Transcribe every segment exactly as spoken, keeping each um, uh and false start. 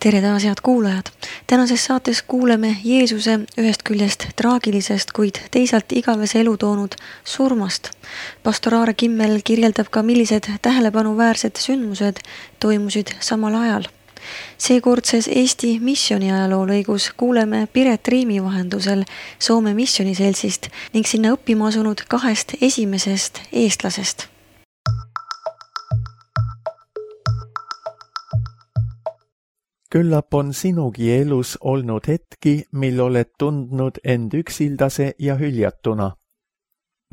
Tere taas, head kuulajad! Tänases saates kuuleme Jeesuse ühest küljest traagilisest, kuid teisalt igavese elu toonud surmast. Pastor Aare Kimmel kirjeldab ka, millised tähelepanuväärsed sündmused toimusid samal ajal. Seekordses Eesti missioni ajaloo lõigus kuuleme Piret Riimi vahendusel Soome missioniseltsist ning sinna õppima asunud kahest esimesest eestlasest. Küllap on sinugi elus olnud hetki, mil oled tundnud end üksildase ja hüljatuna.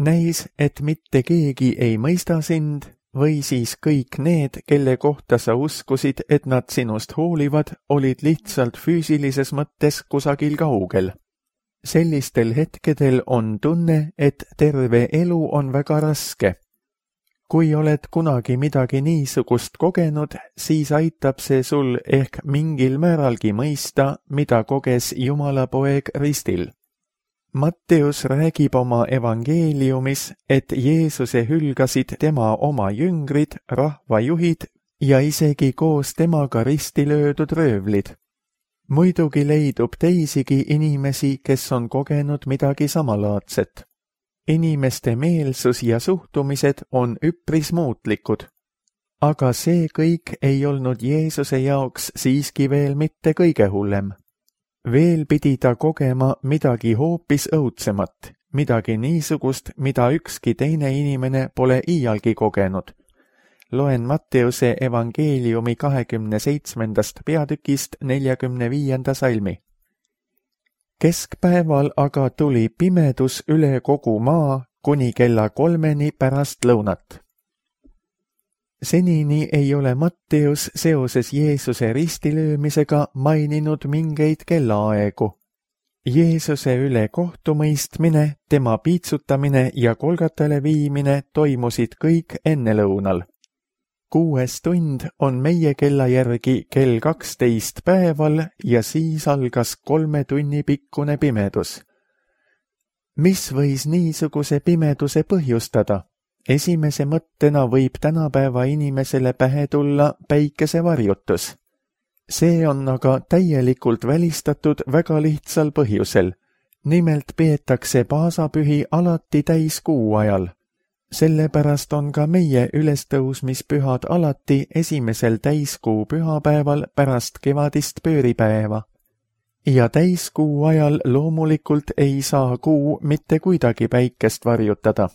Näis, et mitte keegi ei mõista sind või siis kõik need, kelle kohta sa uskusid, et nad sinust hoolivad, olid lihtsalt füüsilises mõttes kusagil kaugel. Sellistel hetkedel on tunne, et terve elu on väga raske. Kui oled kunagi midagi niisugust kogenud, siis aitab see sul ehk mingil määralgi mõista, mida koges Jumala poeg ristil. Matteus räägib oma evangeeliumis, et Jeesuse hülgasid tema oma jüngrid, rahvajuhid ja isegi koos temaga risti löödud röövlid. Muidugi leidub teisigi inimesi, kes on kogenud midagi samalaadset. Inimeste meelsus ja suhtumised on üpris muutlikud. Aga see kõik ei olnud Jeesuse jaoks siiski veel mitte kõige hullem. Veel pidi ta kogema midagi hoopis õudsemat, midagi niisugust, mida ükski teine inimene pole iialgi kogenud. Loen Matteuse evangeeliumi kahekümne seitsmendast peatükist neljakümne viienda salmi. Keskpäeval aga tuli pimedus üle kogu maa kuni kella kolmeni pärast lõunat. Senini ei ole Matteus seoses Jeesuse ristilöömisega maininud mingeid kellaaegu. Jeesuse üle kohtumõistmine, tema piitsutamine ja kolgatele viimine toimusid kõik enne lõunal. Kuues tund on meie kella järgi kell kaksteist päeval ja siis algas kolme tunni pikkune pimedus. Mis võis niisuguse pimeduse põhjustada? Esimese mõttena võib tänapäeva inimesele pähe tulla päikesevarjutus. See on aga täielikult välistatud väga lihtsal põhjusel. Nimelt peetakse paasapühi alati täiskuu ajal. Sellepärast on ka meie ülestõusmispühad alati esimesel täiskuu pühapäeval pärast kevadist pööripäeva. Ja täiskuu ajal loomulikult ei saa kuu mitte kuidagi päikest varjutada.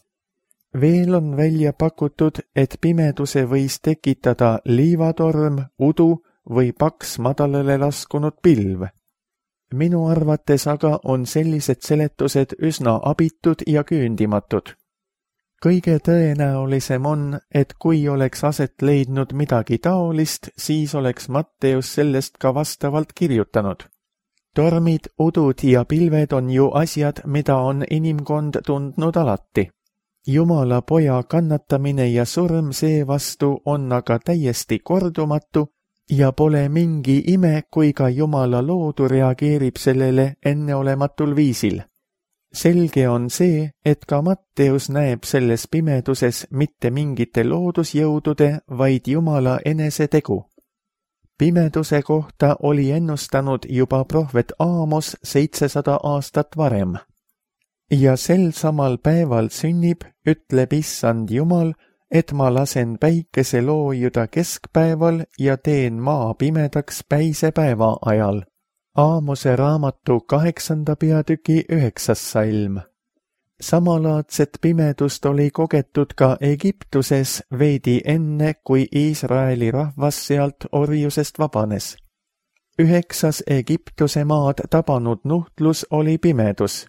Veel on välja pakutud, et pimeduse võis tekitada liivatorm, udu või paks madalale laskunud pilv. Minu arvates aga on sellised seletused üsna abitud ja küündimatud. Kõige tõenäolisem on, et kui oleks aset leidnud midagi taolist, siis oleks Matteus sellest ka vastavalt kirjutanud. Tormid, udud ja pilved on ju asjad, mida on inimkond tundnud alati. Jumala poja kannatamine ja surm seevastu on aga täiesti kordumatu ja pole mingi ime, kui ka Jumala loodu reageerib sellele enneolematul viisil. Selge on see, et ka Matteus näeb selles pimeduses mitte mingite loodusjõudude, vaid Jumala enese tegu. Pimeduse kohta oli ennustanud juba prohvet Aamos seitsesada aastat varem. Ja sel samal päeval sünnib, ütleb Issand Jumal, et ma lasen päikese loojuda keskpäeval ja teen maa pimedaks päisepäeva ajal. Aamose raamatu kaheksanda peatüki üheksas salm. Samalaadset pimedust oli kogetud ka Egiptuses veidi enne, kui Iisraeli rahvas sealt orjusest vabanes. Üheksas Egiptuse maad tabanud nuhtlus oli pimedus.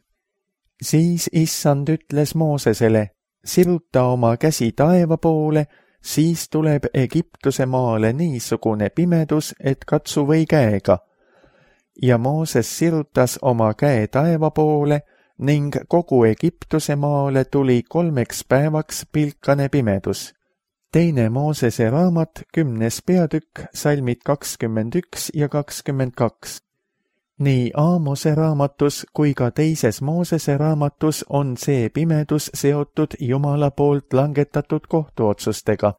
Siis Issand ütles Moosesele, siruta oma käsi taeva poole, siis tuleb Egiptuse maale niisugune pimedus, et katsu või käega. Ja Mooses sirutas oma käe taeva poole ning kogu Egiptuse maale tuli kolmeks päevaks pilkane pimedus. Teine Moosese raamat, kümnes peatükk, salmid kakskümmend üks ja kakskümmend kaks. Nii Aamose raamatus kui ka teises Moosese raamatus on see pimedus seotud Jumala poolt langetatud kohtuotsustega.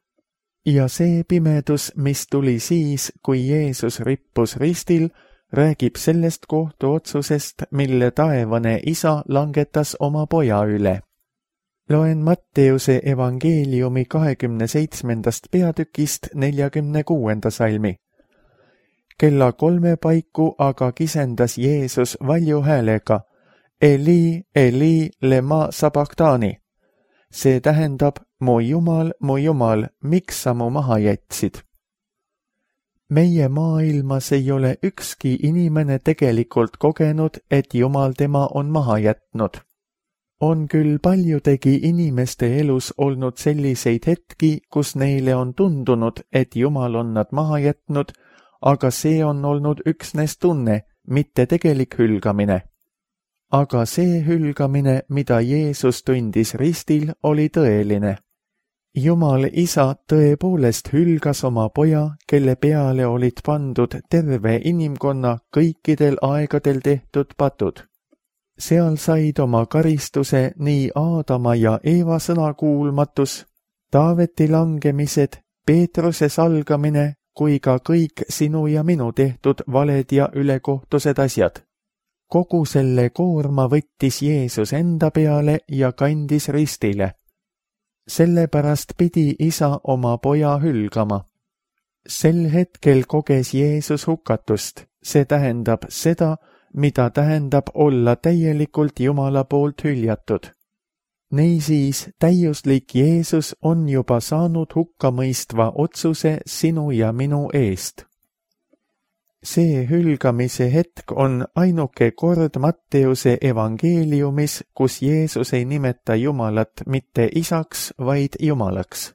ja see pimedus, mis tuli siis, kui Jeesus rippus ristil, räägib sellest kohtuotsusest, mille taevane isa langetas oma poja üle. Loen Matteuse evangeeliumi kahekümne seitsmendast peatükist neljakümne kuuenda salmi. Kella kolme paiku aga kisendas Jeesus valju häälega, Eli, Eli, lema sabachthani. See tähendab, mu Jumal, mu Jumal, miks sa mu maha jätsid? Meie maailmas ei ole ükski inimene tegelikult kogenud, et Jumal tema on maha jätnud. On küll paljudegi inimeste elus olnud selliseid hetki, kus neile on tundunud, et Jumal on nad maha jätnud, aga see on olnud üksnes tunne, mitte tegelik hülgamine. Aga see hülgamine, mida Jeesus tundis ristil, oli tõeline. Jumal isa tõepoolest hülgas oma poja, kelle peale olid pandud terve inimkonna kõikidel aegadel tehtud patud. Seal said oma karistuse nii Aadama ja Eeva sõnakuulmatus, Taaveti langemised, Peetruse salgamine kui ka kõik sinu ja minu tehtud valed ja ülekohtused asjad. Kogu selle koorma võttis Jeesus enda peale ja kandis ristile. Sellepärast pidi isa oma poja hülgama. Sel hetkel koges Jeesus hukatust, see tähendab seda, mida tähendab olla täielikult Jumala poolt hüljatud. Niisiis, täiuslik Jeesus on juba saanud hukkamõistva otsuse sinu ja minu eest. See hülgamise hetk on ainuke kord Matteuse evangeeliumis, kus Jeesus ei nimeta Jumalat mitte isaks, vaid Jumalaks.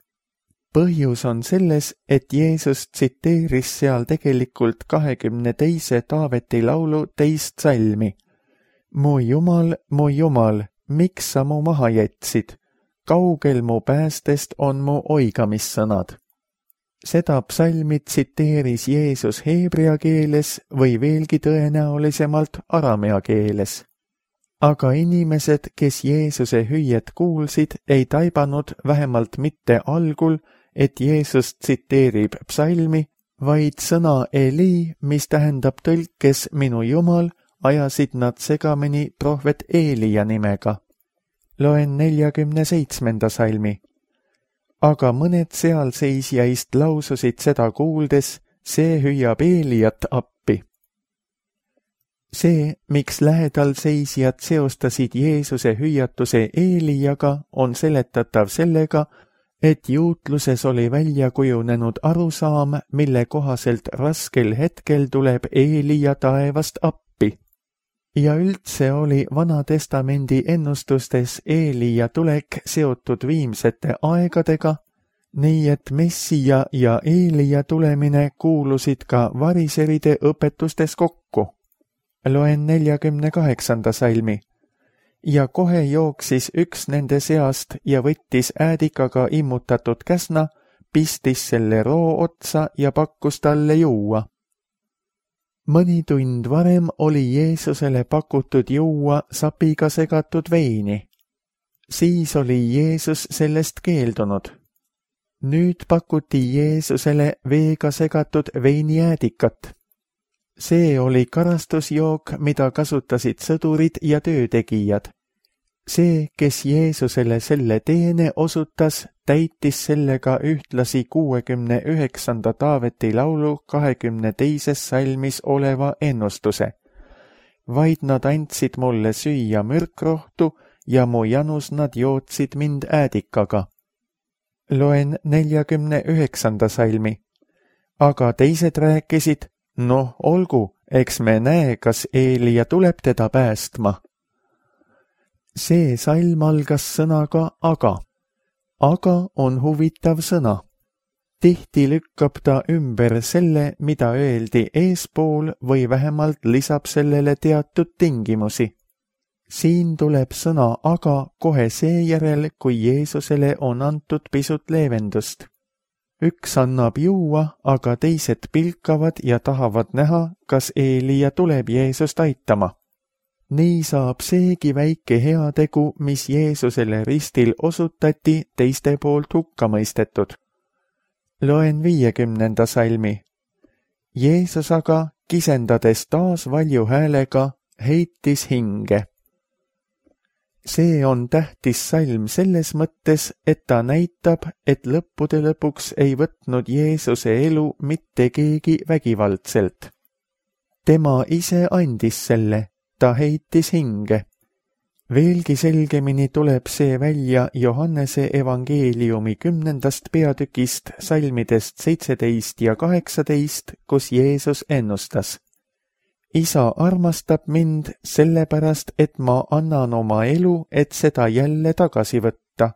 Põhjus on selles, et Jeesus tsiteeris seal tegelikult kahekümne teise Taaveti laulu teist salmi. Mu Jumal, mu Jumal, miks sa mu maha jätsid? Kaugel mu päästest on mu oigamissõnad. Seda psalmi tsiteeris Jeesus heebrea keeles või veelgi tõenäolisemalt aramea keeles. Aga inimesed, kes Jeesuse hüüet kuulsid, ei taibanud vähemalt mitte algul, et Jeesus tsiteerib psalmi, vaid sõna Eli, mis tähendab tõlkes minu Jumal, ajasid nad segamini prohvet Eelia nimega. Loen neljakümne seitsmenda salmi. Aga mõned sealseisjaist laususid seda kuuldes, see hüüab Eeliat appi. See, miks lähedal seisjad seostasid Jeesuse hüüatuse Eeliaga, on seletatav sellega, et juutluses oli välja kujunenud arusaam, mille kohaselt raskel hetkel tuleb Eelia taevast appi. Ja üldse oli Vana Testamendi ennustustes Eelia tulek seotud viimsete aegadega, nii et Messija ja Eelia tulemine kuulusid ka variseride õpetustes kokku. Loen neljakümne kaheksanda salmi. Ja kohe jooksis üks nende seast ja võttis äädikaga immutatud käsna, pistis selle roo otsa ja pakkus talle juua. Mõni tund varem oli Jeesusele pakutud juua sapiga segatud veini. Siis oli Jeesus sellest keeldunud. Nüüd pakuti Jeesusele veega segatud veiniäädikat. See oli karastusjook, mida kasutasid sõdurid ja töötegijad. See, kes Jeesusele selle teene osutas, täitis sellega ühtlasi kuuekümne üheksanda Taaveti laulu kahekümne teises salmis oleva ennustuse. Vaid nad andsid mulle süüa mürkrohtu ja mu janus nad jootsid mind äädikaga. Loen neljakümne üheksanda salmi. Aga teised rääkisid, noh, olgu, eks me näe, kas Eelia tuleb teda päästma. See salm algas sõnaga aga. Aga on huvitav sõna. Tihti lükkab ta ümber selle, mida öeldi eespool või vähemalt lisab sellele teatud tingimusi. Siin tuleb sõna aga kohe seejärel, kui Jeesusele on antud pisut leevendust. Üks annab juua, aga teised pilkavad ja tahavad näha, kas Eelia tuleb Jeesust aitama. Nii saab seegi väike heategu, mis Jeesusele ristil osutati, teiste poolt hukka mõistetud. Loen viiekümnenda salmi. Jeesus aga, kisendades taas valju häälega, heitis hinge. See on tähtis salm selles mõttes, et ta näitab, et lõppude lõpuks ei võtnud Jeesuse elu mitte keegi vägivaldselt. Tema ise andis selle, ta heitis hinge. Veelgi selgemini tuleb see välja Johannese evangeeliumi kümnendast peatükist salmidest seitseteist ja kaheksateist, kus Jeesus ennustas. Isa armastab mind sellepärast, et ma annan oma elu, et seda jälle tagasi võtta.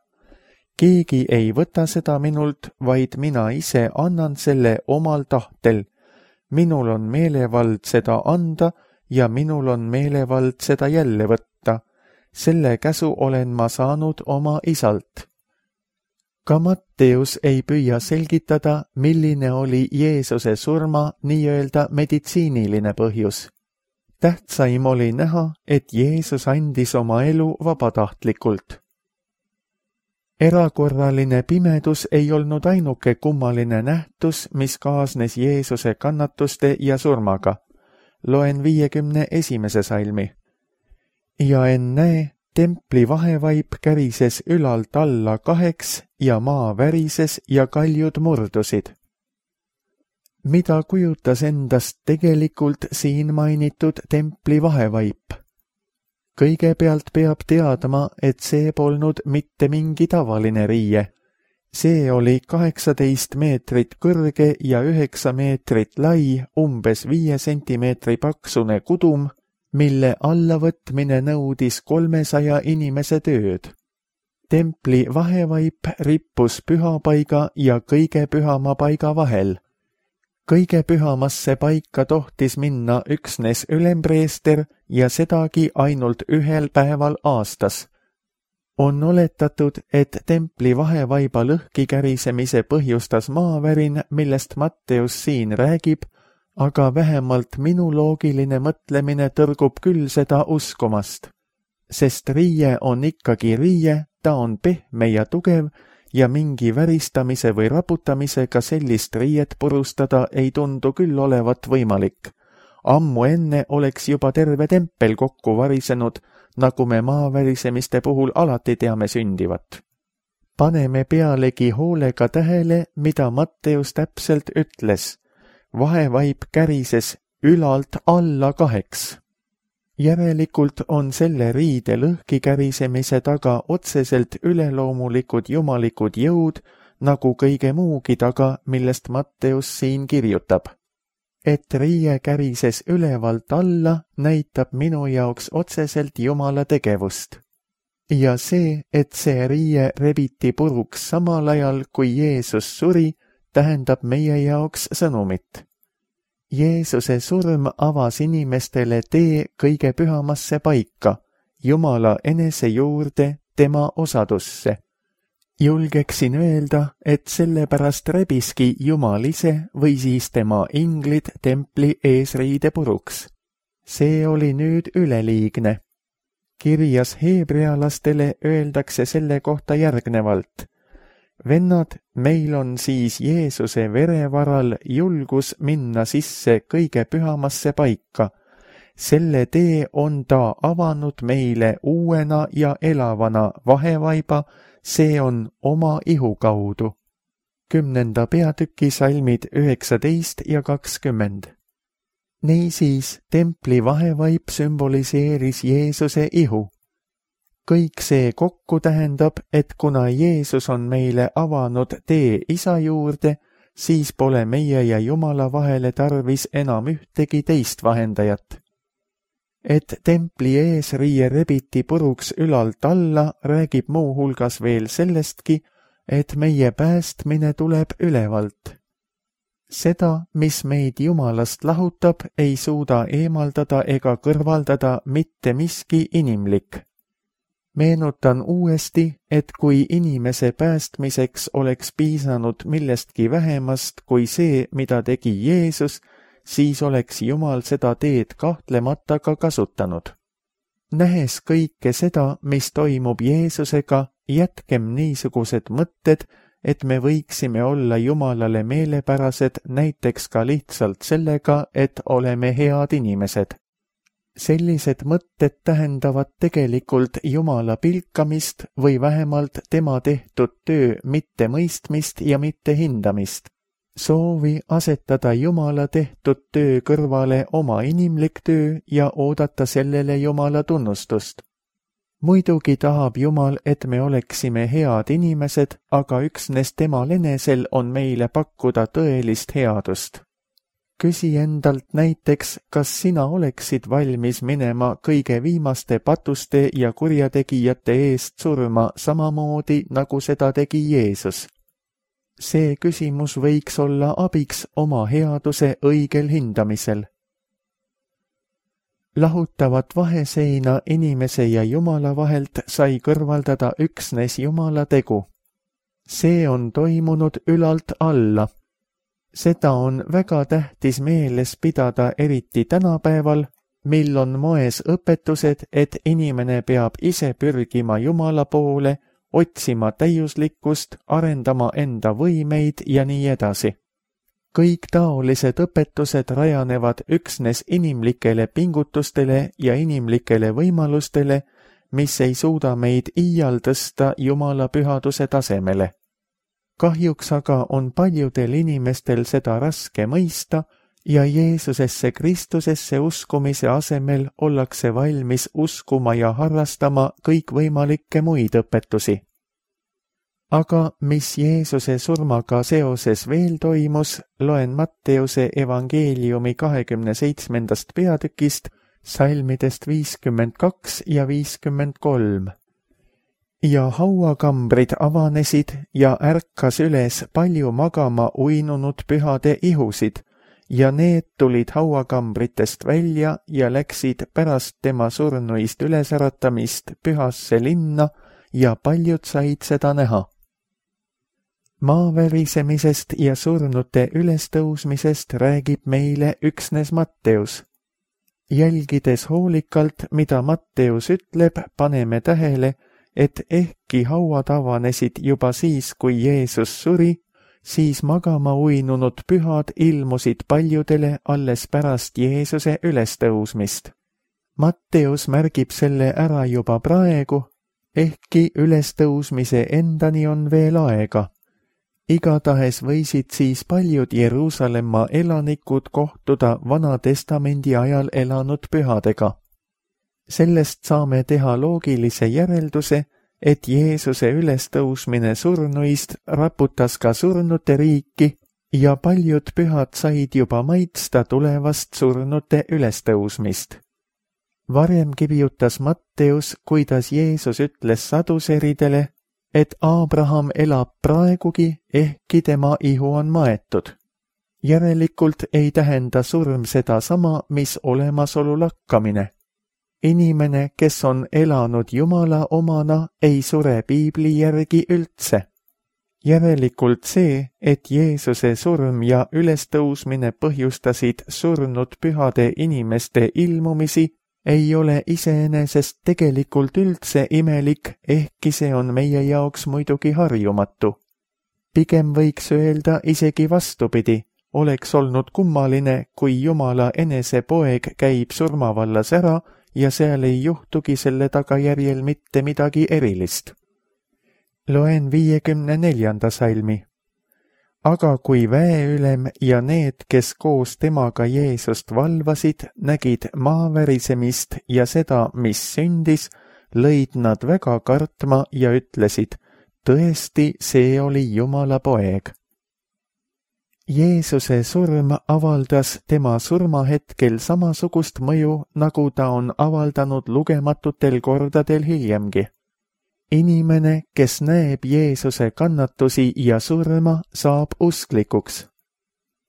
Keegi ei võta seda minult, vaid mina ise annan selle omal tahtel. Minul on meelevald seda anda ja minul on meelevald seda jälle võtta. Selle käsu olen ma saanud oma isalt. Ka Matteus ei püüa selgitada, milline oli Jeesuse surma nii-öelda meditsiiniline põhjus. Tähtsaim oli näha, et Jeesus andis oma elu vabatahtlikult. Erakorraline pimedus ei olnud ainuke kummaline nähtus, mis kaasnes Jeesuse kannatuste ja surmaga. Loen viiekümne esimese salmi. Ja ennäe, templi vahevaip kärises ülalt alla kaheks ja maa värises ja kaljud murdusid. Mida kujutas endast tegelikult siin mainitud templi vahevaip? Kõigepealt peab teadma, et see polnud mitte mingi tavaline riie. See oli kaheksateist meetrit kõrge ja üheksa meetrit lai, umbes viie sentimeetri paksune kudum, mille allavõtmine nõudis kolmesaja inimese tööd. Templi vahevaip rippus pühapaiga ja kõige pühama paiga vahel. Kõige pühamasse paika tohtis minna üksnes ülempreester ja sedagi ainult ühel päeval aastas. On oletatud, et templi vahevaiba lõhki kärisemise põhjustas maavärin, millest Matteus siin räägib, aga vähemalt minu loogiline mõtlemine tõrgub küll seda uskumast. Sest riie on ikkagi riie, ta on pehme ja tugev ja mingi väristamise või raputamisega sellist riiet purustada ei tundu küll olevat võimalik. Ammu enne oleks juba terve tempel kokku varisenud, nagu me maavärisemiste puhul alati teame sündivat. Paneme pealegi hoolega tähele, mida Matteus täpselt ütles. Vahevaip kärises ülalt alla kaheks. Järelikult on selle riide lõhki kärisemise taga otseselt üleloomulikud jumalikud jõud, nagu kõige muugi taga, millest Matteus siin kirjutab. Et riie kärises ülevalt alla, näitab minu jaoks otseselt Jumala tegevust. Ja see, et see riie rebiti puruks samal ajal, kui Jeesus suri, tähendab meie jaoks sõnumit. Jeesuse surm avas inimestele tee kõige pühamasse paika, Jumala enese juurde, tema osadusse. Julgeksin öelda, et sellepärast rebiski Jumal ise või siis tema inglid templi eesriide puruks. See oli nüüd üleliigne. Kirjas heebrealastele öeldakse selle kohta järgnevalt. Vennad, meil on siis Jeesuse vere varal julgus minna sisse kõige pühamasse paika. Selle tee on ta avanud meile uuena ja elavana vahevaiba, see on oma ihu kaudu. Kümnenda peatüki salmid üheksateist ja kakskümmend. Niisiis, templi vahevaip sümboliseeris Jeesuse ihu. Kõik see kokku tähendab, et kuna Jeesus on meile avanud tee isa juurde, siis pole meie ja Jumala vahele tarvis enam ühtegi teist vahendajat. Et templi eesriie rebiti puruks ülalt alla, räägib muu hulgas veel sellestki, et meie päästmine tuleb ülevalt. Seda, mis meid Jumalast lahutab, ei suuda eemaldada ega kõrvaldada mitte miski inimlik. Meenutan uuesti, et kui inimese päästmiseks oleks piisanud millestki vähemast kui see, mida tegi Jeesus, siis oleks Jumal seda teed kahtlemata ka kasutanud. Nähes kõike seda, mis toimub Jeesusega, jätkem niisugused mõtted, et me võiksime olla Jumalale meelepärased näiteks ka lihtsalt sellega, et oleme head inimesed. Sellised mõtted tähendavad tegelikult Jumala pilkamist või vähemalt tema tehtud töö mittemõistmist ja mitte hindamist. Soovi asetada Jumala tehtud töö kõrvale oma inimlik töö ja oodata sellele Jumala tunnustust. Muidugi tahab Jumal, et me oleksime head inimesed, aga üksnes temal enesel on meile pakkuda tõelist headust. Küsi endalt näiteks, kas sina oleksid valmis minema kõige viimaste patuste ja kurjategijate eest surma samamoodi, nagu seda tegi Jeesus. See küsimus võiks olla abiks oma headuse õigel hindamisel. Lahutavat vaheseina inimese ja Jumala vahelt sai kõrvaldada üksnes Jumala tegu. See on toimunud ülalt alla. Seda on väga tähtis meeles pidada eriti tänapäeval, mil on moes õpetused, et inimene peab ise pürgima Jumala poole, otsima täiuslikkust, arendama enda võimeid ja nii edasi. Kõik taolised õpetused rajanevad üksnes inimlikele pingutustele ja inimlikele võimalustele, mis ei suuda meid iial tõsta Jumala pühaduse tasemele. Kahjuks aga on paljudel inimestel seda raske mõista ja Jeesusesse Kristusesse uskumise asemel ollakse valmis uskuma ja harrastama kõikvõimalikke muid õpetusi. Aga mis Jeesuse surmaga seoses veel toimus, loen Matteuse evangeeliumi kahekümne seitsmendast peatükist, salmidest viiskümmend kaks ja viiskümmend kolm. Ja hauakambrid avanesid ja ärkas üles palju magama uinunud pühade ihusid, ja need tulid hauakambritest välja ja läksid pärast tema surnuist ülesäratamist pühasse linna ja paljud said seda näha. Maaverisemisest ja surnute ülestõusmisest räägib meile üksnes Matteus. Jälgides hoolikalt, mida Matteus ütleb, paneme tähele, et ehkki hauad avanesid juba siis, kui Jeesus suri, siis magama uinunud pühad ilmusid paljudele alles pärast Jeesuse ülestõusmist. Matteus märgib selle ära juba praegu, ehkki ülestõusmise endani on veel aega. Igatahes võisid siis paljud Jeruusalemma elanikud kohtuda Vana Testamendi ajal elanud pühadega. Sellest saame teha loogilise järelduse, et Jeesuse ülestõusmine surnuist raputas ka surnute riiki ja paljud pühad said juba maitsta tulevast surnute ülestõusmist. Varem kirjutas Matteus, kuidas Jeesus ütles saduseridele, et Abraham elab praegugi, ehkki tema ihu on maetud. Järelikult ei tähenda surm seda sama, mis olemasolu lakkamine. Inimene, kes on elanud Jumala omana, ei sure Piibli järgi üldse. Järelikult see, et Jeesuse surm ja ülestõusmine põhjustasid surnud pühade inimeste ilmumisi, ei ole iseenesest tegelikult üldse imelik, ehkki see on meie jaoks muidugi harjumatu. Pigem võiks öelda isegi vastupidi, oleks olnud kummaline, kui Jumala enese poeg käib surmavallas ära ja seal ei juhtugi selle tagajärjel mitte midagi erilist. Loen viiekümne neljanda salmi. Aga kui väeülem ja need, kes koos temaga Jeesust valvasid, nägid maaverisemist ja seda, mis sündis, lõid nad väga kartma ja ütlesid, tõesti, see oli Jumala poeg. Jeesuse surm avaldas tema surmahetkel samasugust mõju, nagu ta on avaldanud lugematutel kordadel hiljemgi. Inimene, kes näeb Jeesuse kannatusi ja surma, saab usklikuks.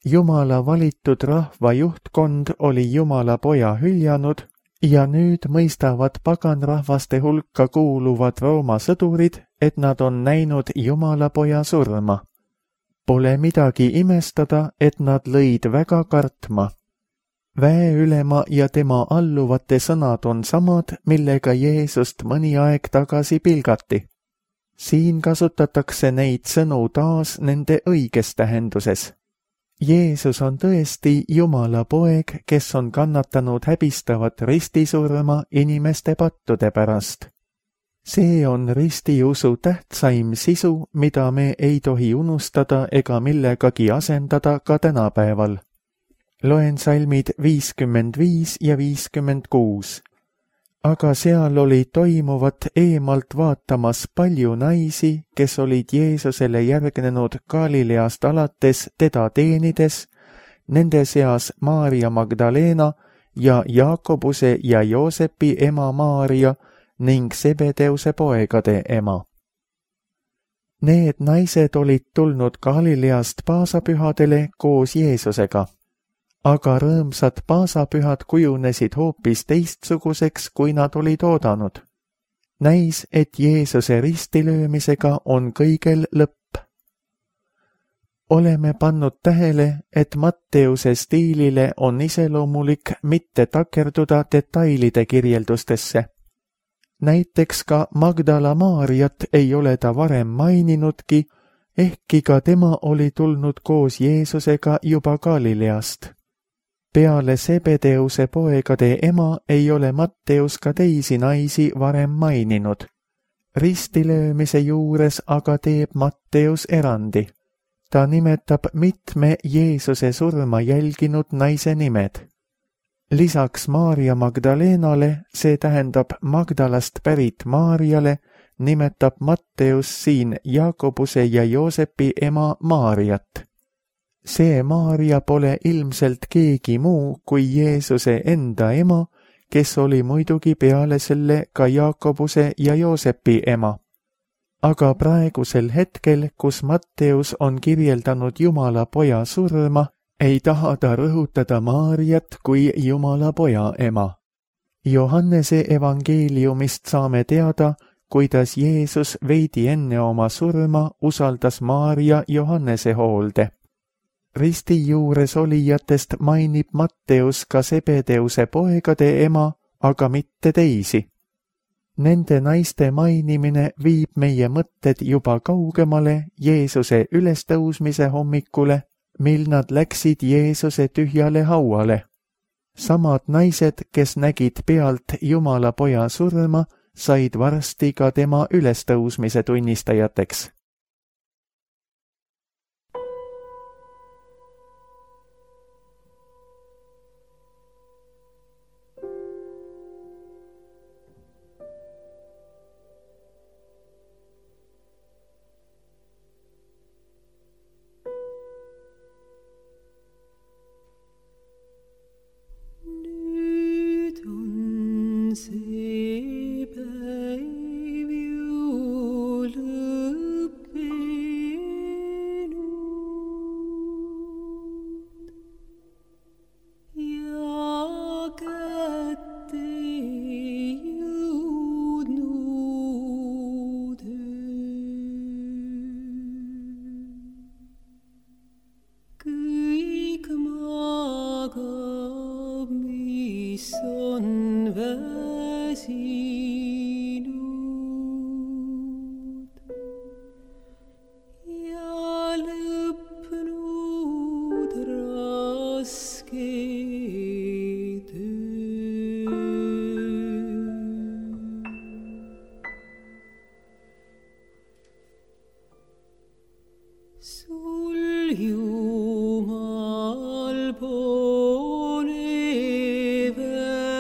Jumala valitud rahva juhtkond oli Jumala poja hüljanud ja nüüd mõistavad paganrahvaste hulka kuuluvad Rooma sõdurid, et nad on näinud Jumala poja surma. Pole midagi imestada, et nad lõid väga kartma. Väeülema ja tema alluvate sõnad on samad, millega Jeesust mõni aeg tagasi pilgati. siin kasutatakse neid sõnu taas nende õiges tähenduses. Jeesus on tõesti Jumala poeg, kes on kannatanud häbistavat ristisurma inimeste pattude pärast. See on ristiusu tähtsaim sisu, mida me ei tohi unustada ega millegagi asendada ka tänapäeval. Loen salmid viiskümmend viis ja viiskümmend kuus. Aga seal oli toimuvat eemalt vaatamas palju naisi, kes olid Jeesusele järgnenud Galileast alates teda teenides, nende seas Maarja Magdalena ja Jaakobuse ja Joosepi ema Maarja ning Sebedeuse poegade ema. Need naised olid tulnud Galileast paasapühadele koos Jeesusega. Aga rõõmsad paasapühad kujunesid hoopis teistsuguseks, kui nad olid oodanud. Näis, et Jeesuse ristilöömisega on kõigel lõpp. Oleme pannud tähele, et Matteuse stiilile on iseloomulik mitte takerduda detailide kirjeldustesse. Näiteks ka Magdala Maarjat ei ole ta varem maininudki, ehkki ka tema oli tulnud koos Jeesusega juba Galileast. Peale Sebedeuse poegade ema ei ole Matteus ka teisi naisi varem maininud. Ristilöömise juures aga teeb Matteus erandi. Ta nimetab mitme Jeesuse surma jälginud naise nimed. Lisaks Maarja Magdalenale, see tähendab Magdalast pärit Maarjale, nimetab Matteus siin Jaakobuse ja Joosepi ema Maarjat. See Maarja pole ilmselt keegi muu kui Jeesuse enda ema, kes oli muidugi peale selle ka Jaakobuse ja Joosepi ema. Aga praegusel hetkel, kus Matteus on kirjeldanud Jumala poja surma, ei taha ta rõhutada Maarjat kui Jumala poja ema. Johannese evangeeliumist saame teada, kuidas Jeesus veidi enne oma surma usaldas Maarja Johannese hoolde. Risti juures olijatest mainib Matteus ka Sebedeuse poegade ema, aga mitte teisi. Nende naiste mainimine viib meie mõtted juba kaugemale Jeesuse ülestõusmise hommikule, mil nad läksid Jeesuse tühjale hauale. Samad naised, kes nägid pealt Jumala poja surma, said varsti ka tema ülestõusmise tunnistajateks. see päev ju lõppenud ja kätte jõudnud kõik magab, mis on väsinud ja lõpnud raske töö. Sul Jumal pole väsimus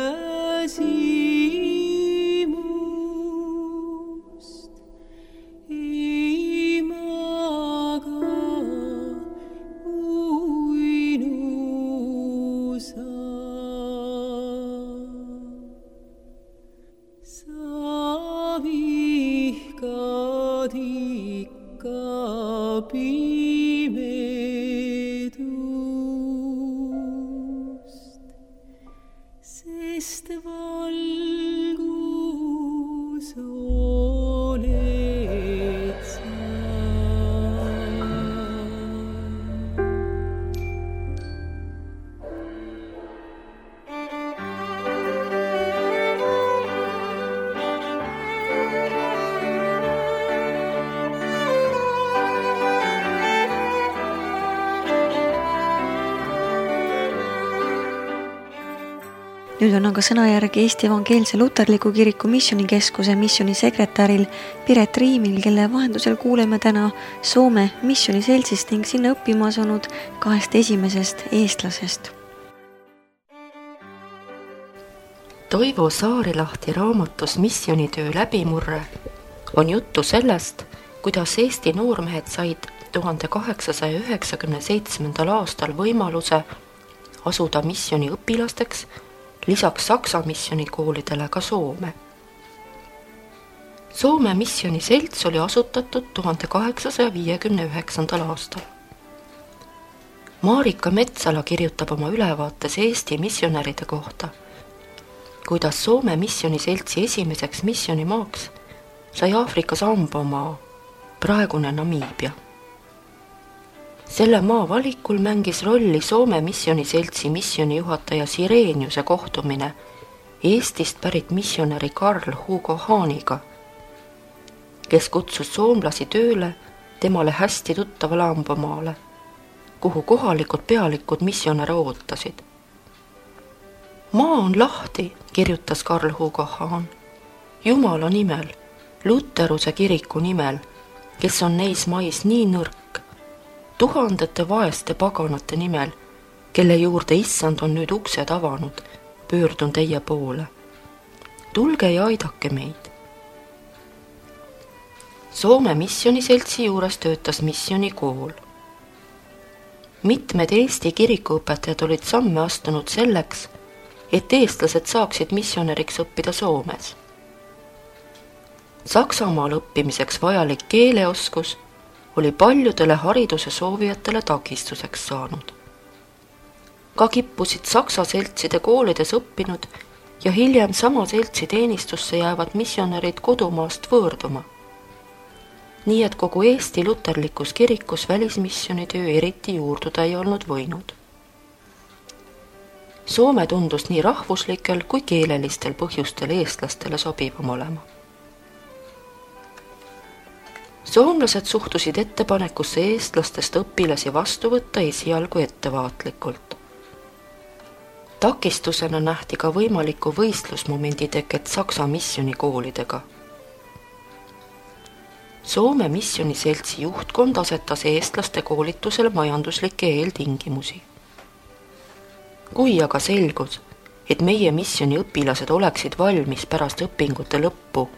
nüüd on aga sõnajärg Eesti Evangeelse Luterliku Kiriku Missionikeskuse missioonisekretäril Piret Riimil, kelle vahendusel kuuleme täna Soome missiooniseltsist ning sinna õppima asunud kahest esimesest eestlasest. Toivo Saarilahti raamatus Missionitöö läbimurre on juttu sellest, kuidas Eesti noormehed said tuhande kaheksasaja üheksakümne seitsmendal aastal võimaluse asuda missiooni õpilasteks lisaks Saksa missionikoolidele ka Soome. Soome missioniselts oli asutatud tuhande kaheksasaja viiekümne üheksandal aastal. Marika Metsala kirjutab oma ülevaates Eesti missionäride kohta, kuidas Soome missioniseltsi esimeseks missionimaaks sai Aafrika Sambomaa, praegune Namiibia. Selle maa valikul mängis rolli Soome missioniseltsi missionijuhataja Sireeniuse kohtumine Eestist pärit missionäri Karl Hugo Haaniga, kes kutsus soomlasi tööle temale hästi tuttavale Ambomaale, kuhu kohalikud pealikud missionäre ootasid. Maa on lahti, kirjutas Karl Hugo Haan, Jumala nimel, Luteruse kiriku nimel, kes on neis mais nii nõrk, tuhandete vaeste paganate nimel, kelle juurde issand on nüüd uksed avanud, pöördun teie poole. Tulge ja aidake meid. Soome missioniseltsi juures töötas missionikool. Mitmed Eesti kirikuõpetajad olid samme astunud selleks, et eestlased saaksid missionäriks õppida Soomes. Saksamaal õppimiseks vajalik keeleoskus oli paljudele hariduse soovijatele takistuseks saanud. Ka kippusid Saksa seltside koolides õppinud ja hiljem sama seltsi teenistusse jäävad missionärid kodumaast võõrduma. Nii et kogu Eesti luterlikus kirikus välismissionitöö eriti juurduda ei olnud võinud. Soome tundus nii rahvuslikel kui keelelistel põhjustel eestlastele sobivam olema. Soomlased suhtusid ettepanekusse eestlastest õpilasi vastu võtta esialgu ettevaatlikult. Takistusena nähti ka võimaliku võistlusmomendi teket Saksa missionikoolidega. Soome missioniseltsi juhtkond asetas eestlaste koolitusele majanduslikke eeltingimusi. Kui aga selgus, et meie missioni õpilased oleksid valmis pärast õpingute lõppu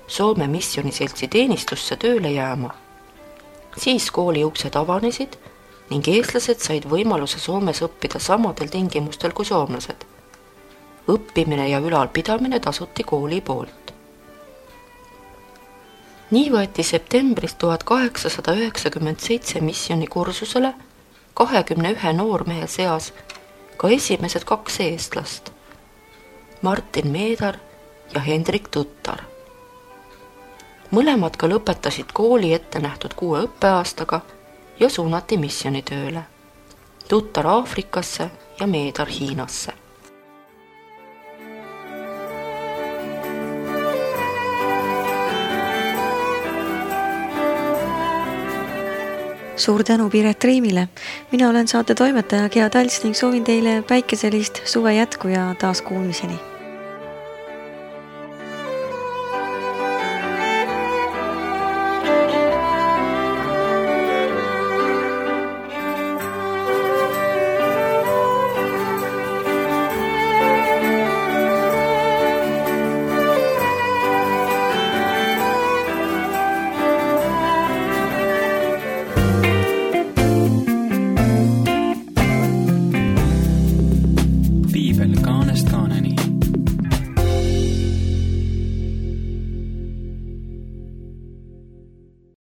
Soome missioniseltsi teenistusse tööle jääma, siis kooli uksed avanesid ning eestlased said võimaluse Soomes õppida samadel tingimustel kui soomlased. Õppimine ja ülalpidamine tasuti kooli poolt. Nii võeti septembris tuhat kaheksasada üheksakümmend seitse missionikursusele kahekümne ühe noormehe seas ka esimesed kaks eestlast, Martin Meedar ja Hendrik Tuttar. Mõlemad ka lõpetasid kooli ette nähtud kuue õppeaastaga ja suunati missionitööle, Tuttar Aafrikasse ja Meedar Hiinasse. Suur tänu Piret Riimile. Mina olen saate toimetaja Gea Talts ning soovin teile päikeselist suve jätku ja taas kuulmiseni.